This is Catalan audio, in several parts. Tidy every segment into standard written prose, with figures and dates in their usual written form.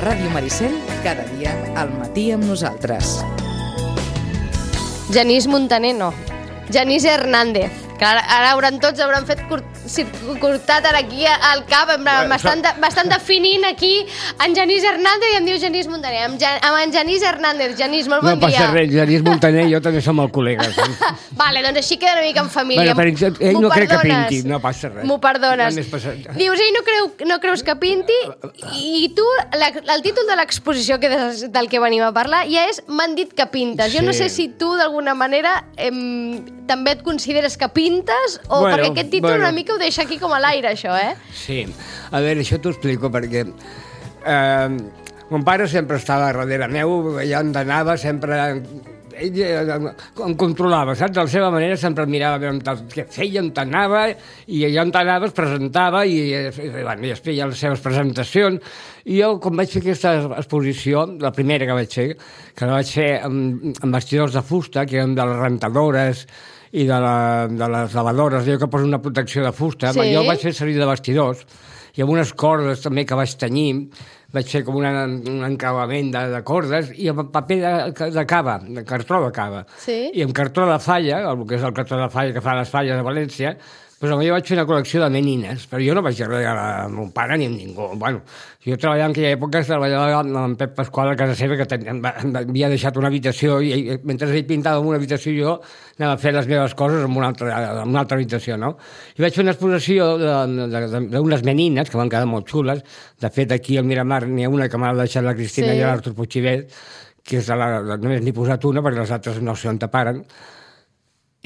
Ràdio Maricel, cada dia al matí amb nosaltres. Genís Montaner, no. Genís Hernández. Que ara tots hauran fet curtat ara aquí al cap, m'estan definint aquí en Genís Hernández i em diu Genís Montaner. Amb en Genís Hernández. Genís, molt bon dia. No passa res, Genís Montaner i jo també som el col·lega. Vale, doncs així queda una mica en família. Bueno, però ell no crec que pinti, no passa res. M'ho perdones. Dius, ell no creus que pinti i tu, el títol de l'exposició del que venim a parlar ja és M'han dit que pintes. Jo no sé si tu d'alguna manera també et consideres que pintes o perquè aquest títol una mica ho deixa aquí com a l'aire, això, eh? Sí. A veure, això t'ho explico perquè mon pare sempre estava darrere meu, allà on anava, sempre ell em controlava, saps? De la seva manera sempre em mirava què feia, on anava, i allà on anava es presentava i es feia les seves presentacions. I jo, quan vaig fer aquesta exposició, la primera que vaig fer, amb vestidors de fusta, que eren de les rentadores i de les lavadores, jo que poso una protecció de fusta, sí. Jo vaig fer servir de vestidors, i amb unes cordes també que vaig tenyir, vaig fer com un encavament de cordes, i amb paper de cava, de cartró de cava. Sí. I amb cartró de falla, el que és el cartró de falla que fan les falles de València, doncs jo vaig fer una col·lecció de menines, però jo no vaig regalar a mon pare ni a ningú. Bueno, jo treballava en aquella època, treballava amb en Pep Pasqual a casa seva, que m'havia deixat una habitació, i mentre ell pintava en una habitació jo anava a fer les meves coses en una altra habitació, no? I vaig fer una exposició d'unes menines, que van quedar molt xules. De fet, aquí al Miramar n'hi ha una que m'ha deixat la Cristina i l'Artur Puigcivet, que només n'he posat una, perquè les altres no sé on taparen.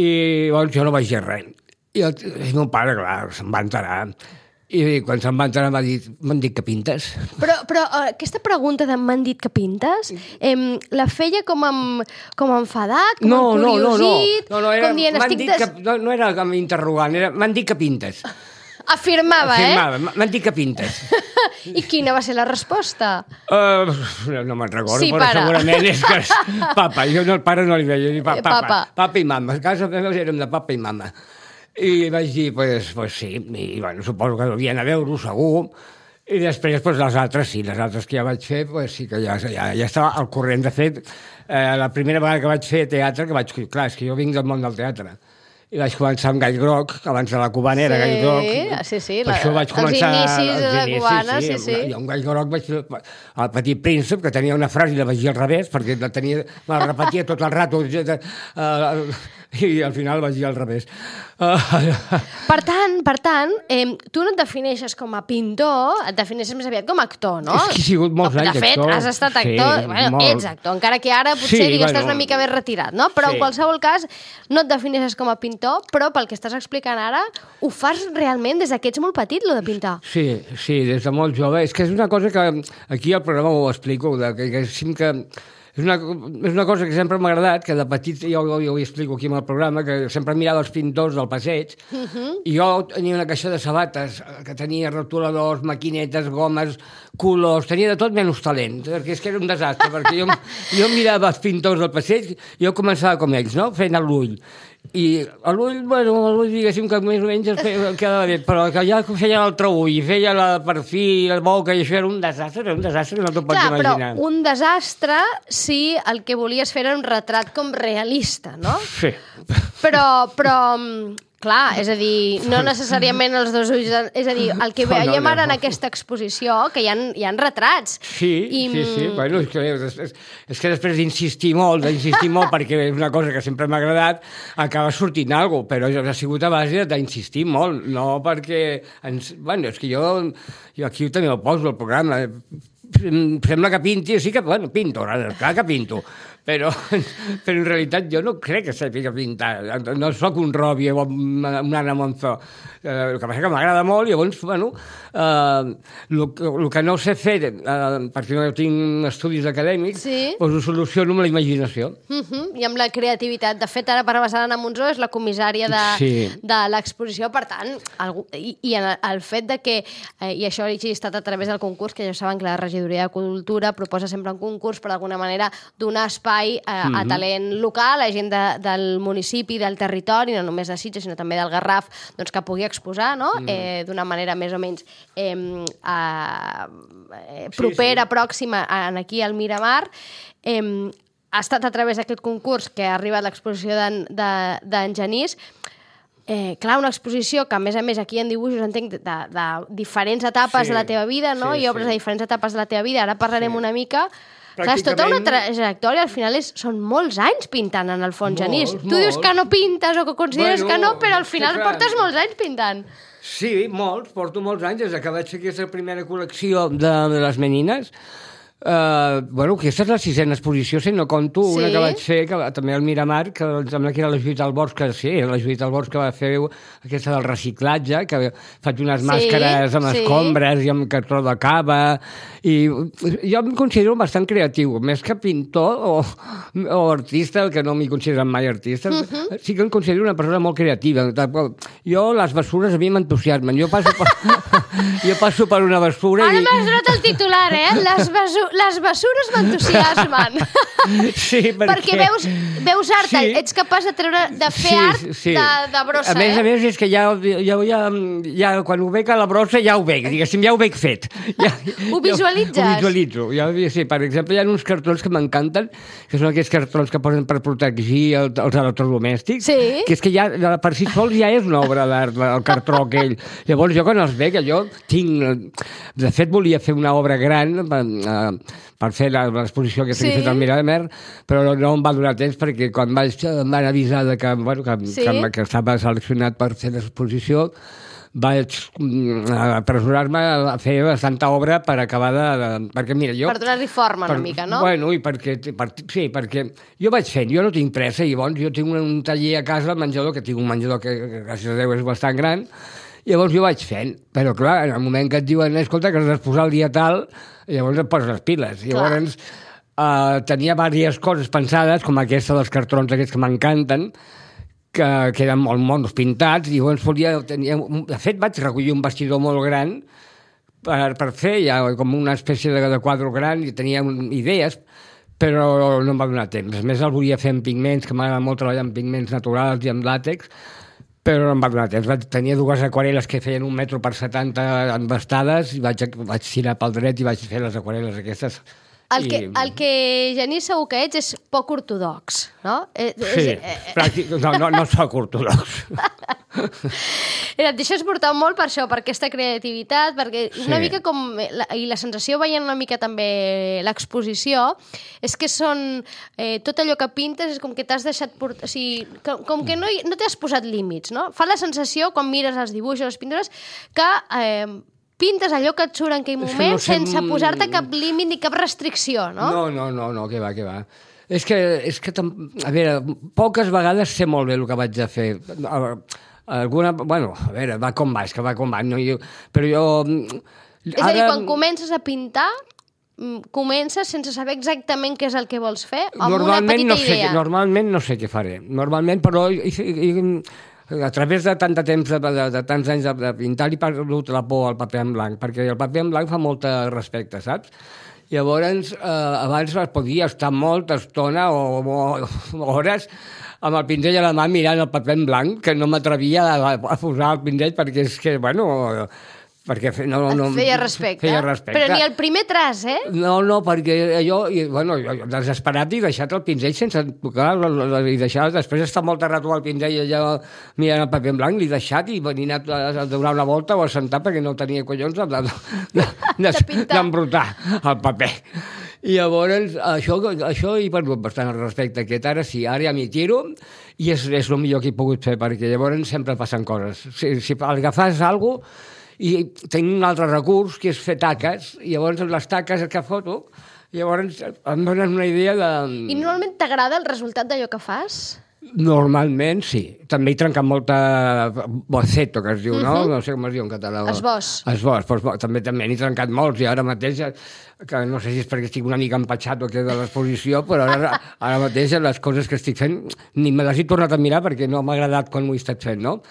I llavors jo no vaig dir res. I mon pare, clar, se'n va enterar. I quan se'n va enterar m'han dit que pintes. Però aquesta pregunta de m'han dit que pintes, la feia com enfadat, com encuriosit? No era com interrogant, m'han dit que pintes. Afirmava, m'han dit que pintes. I quina va ser la resposta? No me'n recordo, sí, però segurament és que és papa. Jo al pare no li deia, papa i mama. A casa meva érem de papa i mama. I vaig dir, pues sí, i bueno, suposo que devien a veure-ho, segur. I després, les altres sí, les altres que ja vaig fer, sí que ja estava al corrent. De fet, la primera vegada que vaig fer teatre, clar, és que jo vinc del món del teatre, i vaig començar amb Gall Groc, abans de la Cubana era Gall Groc. Sí, per això vaig començar els inicis de la Cubana, sí. I amb Gall Groc vaig fer El Petit Príncep, que tenia una frase i la vaig dir al revés, perquè me la repetia tot el rato, i al final vaig dir al revés. Per tant, tu no et defineixes com a pintor, et defineixes més aviat com a actor, no? És que he sigut molts anys actor. De fet, has estat actor, ets actor, encara que ara potser estàs una mica més retirat, no? Però en qualsevol cas, no et defineixes com a pintor, però pel que estàs explicant ara, ho fas realment des que ets molt petit, lo de pintar. Sí, des de molt jove. És que és una cosa que aquí al programa ho explico, és una cosa que sempre m'ha agradat, que de petit, jo ho explico aquí en el programa, que sempre mirava els pintors del passeig, i jo tenia una caixa de sabates, que tenia rotuladors, maquinetes, gomes, colors, tenia de tot menys talent, perquè és que era un desastre, perquè jo mirava els pintors del passeig i jo començava com ells, no?, fent l'ull. I l'ull, diguéssim que més o menys quedava bé, però que ja feia l'altre ull, feia la perfil, la boca, i això era un desastre que no t'ho pots imaginar. Però un desastre si el que volies fer era un retrat com realista, no? Sí. Però clar, és a dir, no necessàriament els dos ulls, és a dir, el que veiem ara en aquesta exposició, que hi ha retrats. Sí, bueno, és que després d'insistir molt, perquè és una cosa que sempre m'ha agradat, acaba sortint alguna cosa, però ha sigut a base d'insistir molt, no perquè... Bueno, és que jo aquí també ho poso al programa, sembla que pinti, sí que, bueno, pinto, clar que pinto, però en realitat jo no crec que sàpiga pintar, no sóc un Robbie o un Anna Monzó, el que passa que m'agrada molt, i llavors, bueno, el que no sé fer, perquè no tinc estudis acadèmics, doncs ho soluciono amb la imaginació. I amb la creativitat. De fet, ara per passar l'Anna Monzó és la comissària de l'exposició, per tant, i el fet de que, i això ha estat a través del concurs, que ja saben que la Regidoria de Cultura proposa sempre un concurs per d'alguna manera donar espai espai a talent local, a gent del municipi, del territori, no només de Sitges, sinó també del Garraf, doncs, que pugui exposar, no? D'una manera més o menys propera, pròxima, aquí al Miramar. Ha estat a través d'aquest concurs que ha arribat l'exposició d'en Genís. Clar, una exposició que, a més, aquí en dibuixos entenc de diferents etapes de la teva vida, no? I obres de diferents etapes de la teva vida. Ara parlarem una mica. Clar, és tota una trajectòria, al final són molts anys pintant, en el fons, Genís. Tu dius que no pintes o que consideres que no, però al final portes molts anys pintant. Sí, molts, porto molts anys, des que vaig fer aquesta primera col·lecció de les menines. Aquesta és la 6a exposició, si no conto una que vaig fer, també al Miramar, que em sembla que era la Judit Albors, que sí, era la Judit Albors que va fer aquesta del reciclatge, que faig unes màscares amb escombres i amb cartró de cava, i jo em considero bastant creatiu, més que pintor o artista, que no m'hi consideren mai artista, sí que em considero una persona molt creativa. Jo, les bessures a mi m'entusiasmen, jo passo per una bessura Ara m'has donat el titular, les bessures m'entusiasmen. Sí, perquè veus art, ets capaç de fer art de brossa, A més, és que ja quan ho veig a la brossa ja ho veig, diguéssim, ja ho veig fet. Ho visualitzes? Ho visualitzo. Sí, per exemple, hi ha uns cartrons que m'encanten, que són aquests cartrons que posen per protegir els electrodomèstics, que és que ja per si sols ja és una obra d'art, el cartró aquell. Llavors, jo quan els veig, jo tinc... De fet, volia fer una obra gran per fer l'exposició que s'ha fet al Miramar, però no em va donar temps perquè quan em van avisar que estava seleccionat per fer l'exposició, vaig apresurar-me a fer bastanta obra per acabar perquè, mira, jo... Per donar-li forma una mica, no? Bueno, i perquè jo vaig fent, jo no tinc pressa, i llavors jo tinc un taller a casa, al menjador, que tinc un menjador que, gràcies a Déu, és bastant gran, llavors jo vaig fent, però clar, en el moment que et diuen, escolta, que has de posar el dia tal, llavors et poses les piles. Llavors tenia diverses coses pensades, com aquesta dels cartrons aquests que m'encanten, que eren molt monos pintats, i llavors de fet vaig recollir un vestidor molt gran per fer ja com una espècie de quadre gran, i tenia idees, però no em va donar temps. A més, el volia fer amb pigments, que m'agrada molt treballar amb pigments naturals i amb làtex, però no em va donar temps. Tenia 2 aquarel·les que feien 1 metro per 70 embastades, i vaig tirar pel dret i vaig fer les aquarel·les aquestes. El que, Genís, segur que ets és poc ortodox, no? Sí, no soc ortodox. Et deixes portar molt per això, per aquesta creativitat, perquè una mica com... I la sensació veient una mica també l'exposició, és que són... Tot allò que pintes és com que t'has deixat portar... O sigui, com que no t'has posat límits, no? Fa la sensació, quan mires els dibuixos, les pintures, que... pintes allò que et surt en aquell moment sense posar-te cap límit ni cap restricció, no? No, què va. És que, a veure, poques vegades sé molt bé el que vaig a fer. Va com va, és que va com va. Però jo... És a dir, quan comences a pintar, comences sense saber exactament què és el que vols fer, amb una petita idea. Normalment no sé què faré. Normalment, però... A través de tant de temps, de tants anys de pintar, li he perdut la por al paper en blanc, perquè el paper en blanc fa molta respecte, saps? Llavors, abans podia estar molta estona o hores amb el pinzell a la mà mirant el paper en blanc, que no m'atrevia a posar el pinzell perquè és que, perquè feia respecte. Però ni el primer traç, No, perquè jo desesperat he deixat el pinzell sense tocar, i després d'estar molt rato al pinzell allà mirant el paper en blanc, l'he deixat i venia a donar una volta o a sentar perquè no tenia collons d'embrutar el paper. I llavors, això he perdut bastant el respecte aquest. Ara sí, ara ja m'hi tiro i és el millor que he pogut fer, perquè llavors sempre passen coses. Si agafes alguna cosa, i tinc un altre recurs, que és fer taques, i llavors les taques que foto, llavors em donen una idea de... I normalment t'agrada el resultat d'allò que fas? Normalment, sí. També he trencat molta boceto, que es diu, no? No sé com es diu en català. Esbós. També n'he trencat molts, i ara mateix, que no sé si és perquè estic una mica empatxat o què de l'exposició, però ara mateix les coses que estic fent ni me les he tornat a mirar perquè no m'ha agradat quan ho he estat fent, no?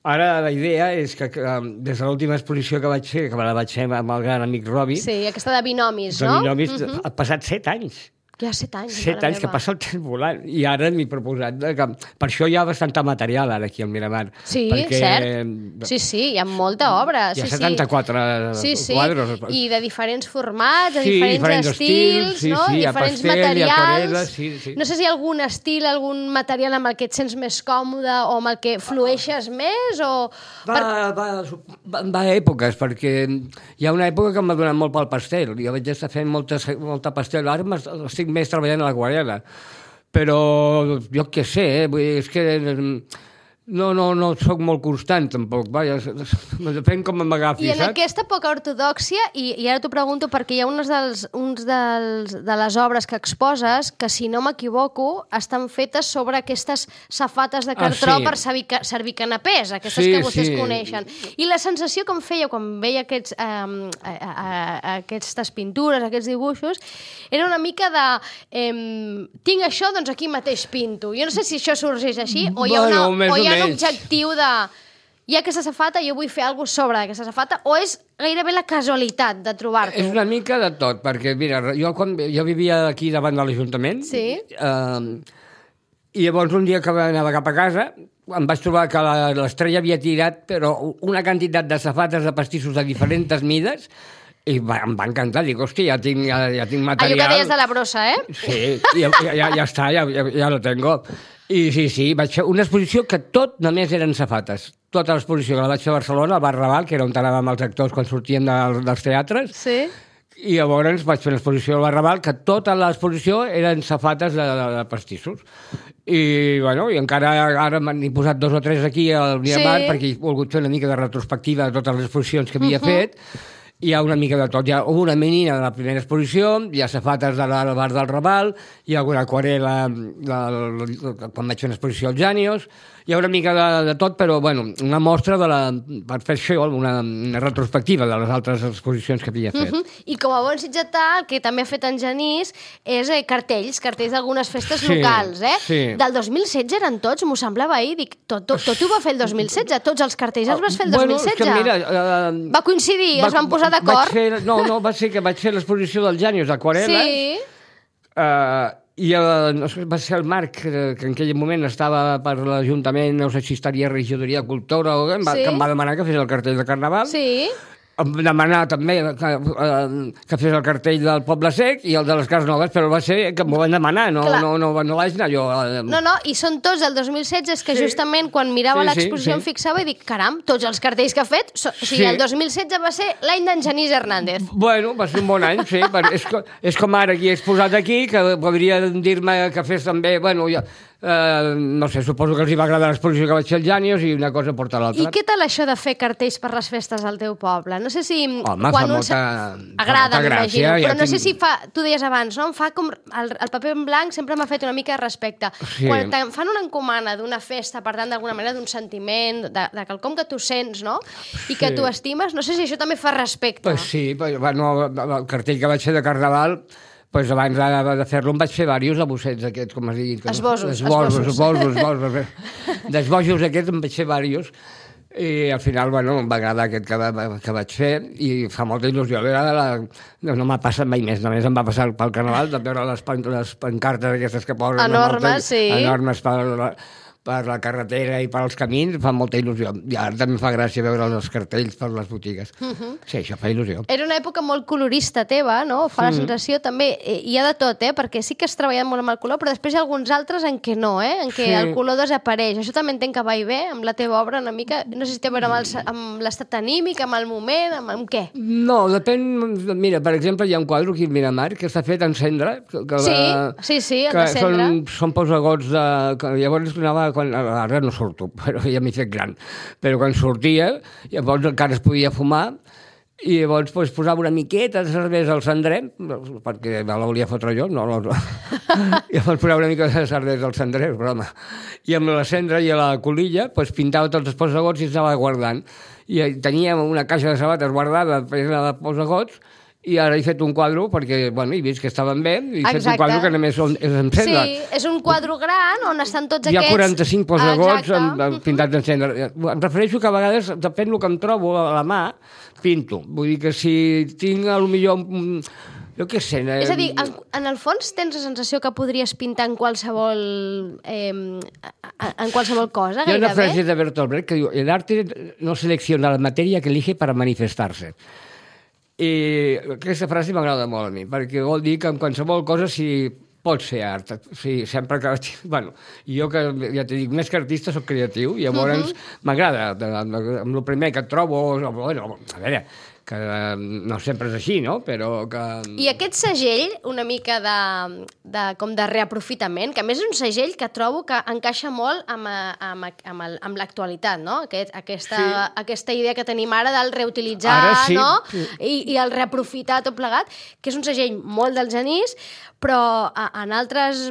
Ara la idea és que des de l'última exposició que vaig fer, que la vaig fer amb el gran amic Robi... Sí, aquesta de binomis, no? De binomis, ha passat 7 anys. Ja 7 anys. 7 anys, que passa el temps volant. I ara m'he proposat que... Per això hi ha bastant material ara aquí al Miramar. Sí, cert. Sí, hi ha molta obra. Hi ha 74 quadres. I de diferents formats, de diferents estils, no? Diferents materials. No sé si hi ha algun estil, algun material amb el que et sents més còmode o amb el que flueixes més o... Va a èpoques, perquè hi ha una època que m'ha donat molt pel pastel. Jo vaig estar fent molta pastel. Ara estic més treballant a l'aquarel·la. Però jo què sé, vull dir, és que no soc molt constant, tampoc. Vaja, depèn com m'agafi, saps? I en aquesta poca ortodòxia, i ara t'ho pregunto perquè hi ha de les obres que exposes que, si no m'equivoco, estan fetes sobre aquestes safates de cartró per servir canapés, aquestes que vostès coneixen. I la sensació que em feia quan veia aquestes pintures, aquests dibuixos, era una mica de tinc això, doncs aquí mateix pinto. Jo no sé si això sorgeix així o hi ha un objectiu de hi ha aquesta safata i jo vull fer alguna cosa sobre aquesta safata, o és gairebé la casualitat de trobar-t'ho? És una mica de tot, perquè mira, jo vivia aquí davant de l'Ajuntament i llavors un dia que anava cap a casa em vaig trobar que l'Estrella havia tirat però una quantitat de safates de pastissos de diferents mides i em va encantar, dic, hòstia, ja tinc material. Allò que deies de la brossa, Sí, ja està, ja lo tengo. I sí, vaig fer una exposició que tot només eren safates. Tota l'exposició que la vaig fer a Barcelona, al Bar Raval, que era on anàvem els actors quan sortien dels teatres. Sí. I llavors vaig fer una exposició al Bar Raval, que tota l'exposició eren safates de pastissos. I, bueno, i encara ara m'han posat 2 o 3 aquí al Miramar, perquè he volgut fer una mica de retrospectiva de totes les exposicions que havia fet. Hi ha una mica de tot. Hi ha una menina de la primera exposició, hi ha safates del bar del Raval, hi ha alguna aquarel·la quan vaig fer una exposició als Jànios, hi ha una mica de tot, però bueno, una mostra per fer això, una retrospectiva de les altres exposicions que havia fet. I com a bon sitgetà, el que també ha fet en Genís és cartells d'algunes festes locals. Del 2016 eren tots, m'ho semblava ahir, dic, tot ho va fer el 2016, tots els cartells els vas fer el 2016? Mira, va coincidir, es van posar d'acord? No, va ser que vaig fer l'exposició dels Jànios d'aquarel·les, i va ser el Marc, que en aquell moment estava per l'Ajuntament, no sé si estaria regidoria de Cultura o què, que em va demanar que fes el cartell de Carnaval. Sí. Em va demanar també que fes el cartell del Poble Sec i el de les Cases Noves, però va ser que m'ho van demanar, no vaig anar jo. No, i són tots del 2016, és que justament quan mirava l'exposició em fixava i dic, caram, tots els cartells que ha fet, o sigui, el 2016 va ser l'any d'en Genís Hernández. Bueno, va ser un bon any, sí, és com ara qui he exposat aquí, que podria dir-me que fes també, bueno, no sé, suposo que els hi va agradar l'exposició que vaig fer als Jànios i una cosa porta a l'altra. I què tal això de fer cartells per les festes al teu poble? No sé si... Home, fa molta agrada, m'imagino, però no sé si fa... Tu deies abans, no? Em fa com... El paper en blanc sempre m'ha fet una mica de respecte. Quan fan una encomana d'una festa, per tant, d'alguna manera, d'un sentiment, de quelcom que tu sents, no? I que tu estimes, no sé si això també fa respecte. Pues sí, el cartell que vaig fer de Carnaval... Pues abans de fer-lo em vaig fer diversos abossets aquests, com es digui. Esbossos. D'esbossos aquests em vaig fer diversos. I al final, bueno, em va agradar aquest que vaig fer i fa molta il·lusió. No m'ha passat mai més, només em va passar pel Carnaval de veure les pancartes aquestes que posen. Enormes, sí. Enormes per la carretera i per als camins, fa molta il·lusió. I ara també fa gràcia veure els cartells per les botigues. Sí, això fa il·lusió. Era una època molt colorista teva, no? Fa la sensació també, hi ha de tot, perquè sí que has treballat molt amb el color, però després hi ha alguns altres en què no, en què el color desapareix. Això també entenc que va i ve amb la teva obra una mica, no sé si té a veure amb l'estat anímic, amb el moment, amb què? No, depèn... Mira, per exemple, hi ha un quadre aquí al Miramar que està fet en cendra. Sí, en de cendra. Són posagots de... Llavors anava ara no surto, però ja m'he fet gran. Però quan sortia, llavors encara es podia fumar i llavors posava una miqueta de cervesa al cendrer, perquè me la volia fotre jo, no. I llavors posava una mica de cervesa al cendrer, broma. I amb la cendra i a la colilla pintava tots els posagots i els anava guardant. I tenia una caixa de sabates guardada plena de posagots. I ara he fet un quadre perquè, bueno, he vist que estaven bé i he fet un quadre que només és en cendra. Sí, és un quadre gran on estan tots aquests... Hi ha 45 posagots pintats en cendra. Em refereixo que a vegades, depèn del que em trobo a la mà, pinto. Vull dir que si tinc potser Jo què sé... És a dir, en el fons tens la sensació que podries pintar en qualsevol cosa, Hi ha una gairebé? frase de Bertolt Brecht que diu: el arte no selecciona la matèria que elige para manifestar-se. I aquesta frase m'agrada molt a mi, perquè vol dir que en qualsevol cosa pot ser art. Sí, sempre que... Bueno, jo que ja t'he dit, més que artista soc creatiu, i llavors m'agrada. Amb el primer que et trobo... Bueno, a veure, que no sempre és així, no? Però que... I aquest segell, una mica com de reaprofitament, que a més és un segell que trobo que encaixa molt amb l'actualitat, no? Aquesta idea que tenim ara del reutilitzar, sí. No? I el reaprofitar tot plegat, que és un segell molt del Genís, però en altres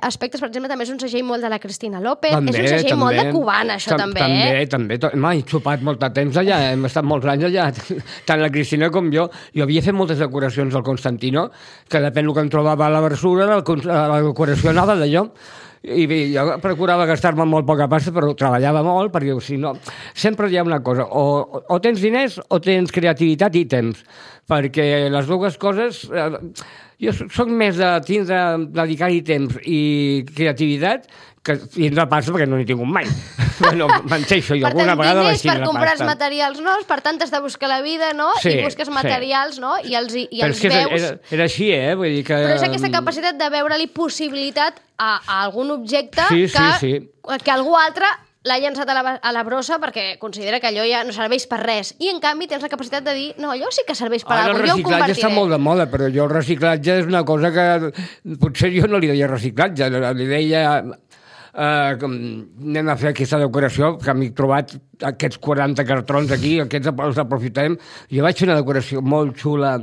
aspectes, per exemple, també és un segell molt de la Cristina López, és un segell molt de cubana, això també. També. He xupat molt de temps allà, hem estat molts anys allà, tant la Cristina com jo. Jo havia fet moltes decoracions al Constantino, que depèn del que em trobava a la versura, la decoració anava d'allò. I bé, jo procurava gastar-me molt poca pasta, però treballava molt, perquè si no... Sempre hi ha una cosa, o tens diners o tens creativitat i temps, perquè les dues coses... Jo soc més de dedicar-hi temps i creativitat que tindre pasta, perquè no n'hi tinc mai. Bueno, m'enxeixo, jo alguna vegada vaig tindre pasta. Per comprar els materials nous, per tant, has de buscar la vida, no? Sí, i busques materials, no? I els veus... Era així, Vull dir que... Però és aquesta capacitat de veure-li possibilitat a algun objecte que algú altre l'ha llançat a la brossa perquè considera que allò ja no serveix per res. I, en canvi, tens la capacitat de dir no, allò sí que serveix per alguna cosa, jo ho convertiré. El reciclatge està molt de moda, però jo el reciclatge és una cosa que potser jo no li deia reciclatge, li deia anem a fer aquesta decoració, que m'he trobat aquests 40 cartrons aquí, aquests els aprofitem. Jo vaig fer una decoració molt xula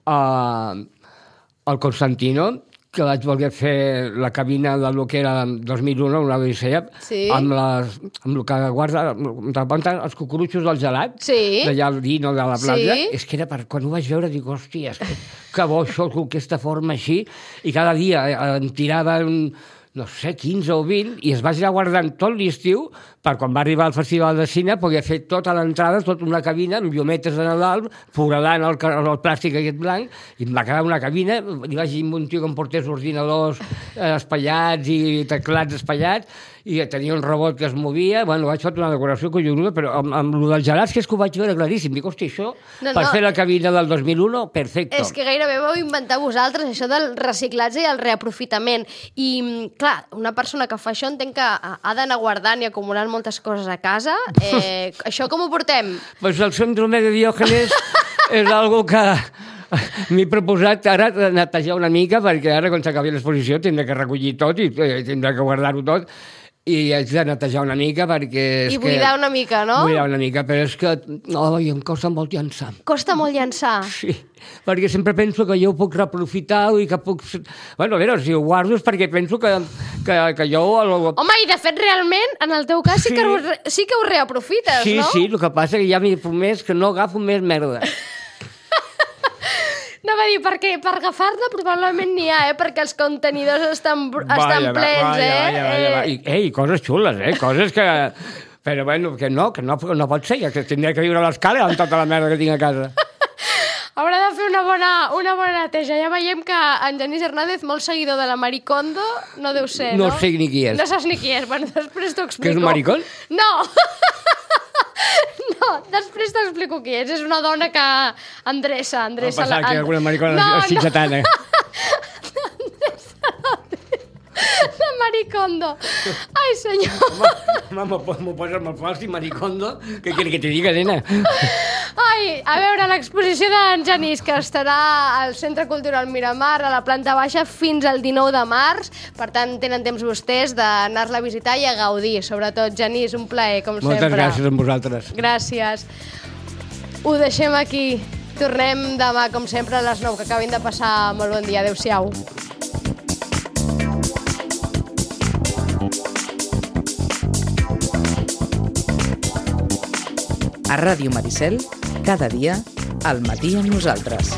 al Constantino, que vaig voler fer la cabina del que era 2001, una odissea, amb el que guarda els cucurutxos del gelat, d'allà al Dino de la platja. És que era quan ho vaig veure, dic, hòstia, que bo això, aquesta forma així, i cada dia em tirava no sé, 15 o 20, i es va anar guardant tot l'estiu per quan va arribar al Festival de Cine poder fer tota l'entrada, tota una cabina amb llumetes de Nadal, foradant el plàstic aquest blanc, i em va quedar una cabina, li vaig dir a un tio que em portés ordinadors espaiats i teclats espaiats, i tenia un robot que es movia, bueno, vaig fer una decoració collonuda, però amb el dels gelats, que és que ho vaig veure claríssim. Dic, hòstia, això, per fer la cabina del 2001, perfecte. És que gairebé vau inventar vosaltres això del reciclatge i el reaprofitament. I, clar, una persona que fa això entenc que ha d'anar guardant i acumulant moltes coses a casa. Això com ho portem? Pues el síndrome de Diògenes és algo que m'he proposat ara netejar una mica, perquè ara quan s'acabi l'exposició tindré que recollir tot i tindré que guardar-ho tot, i haig de netejar una mica perquè... I buidar una mica, no? Buidar una mica, però és que em costa molt llançar. Costa molt llançar? Sí, perquè sempre penso que jo ho puc reaprofitar i que puc... Bueno, a veure, si ho guardo és perquè penso que jo... Home, i de fet, realment, en el teu cas sí que ho reaprofites, no? Sí, el que passa és que ja m'he promès que no agafo més merda. No va dir, perquè per agafar-la probablement n'hi ha, perquè els contenidors estan plens, I coses xules, coses que... Però bueno, que no pot ser, que tindré que viure a l'escala amb tota la merda que tinc a casa. Haurà de fer una bona neteja. Ja veiem que en Genís Hernández, molt seguidor de la Maricondo, no deu ser, no? No sé ni qui és. No saps ni qui és. Bueno, després t'ho explico. Que és un maricón? No! No, després t'explico qui és. És una dona que endreça... No passar que alguna maricona sitgetana. La Maricondo. Ai, senyor. M'ho posa molt fals, Maricondo. Què quieres que te diga, nena? Ai, a veure, l'exposició d'en Genís, que estarà al Centre Cultural Miramar, a la planta baixa, fins al 19 de març. Per tant, tenen temps vostès d'anar-la a visitar i a gaudir. Sobretot, Genís, un plaer, com sempre. Moltes gràcies a vosaltres. Gràcies. Ho deixem aquí. Tornem demà, com sempre, a les 9. Que acabin de passar molt bon dia. Adéu-siau. A Ràdio Maricel, cada dia, al matí amb nosaltres.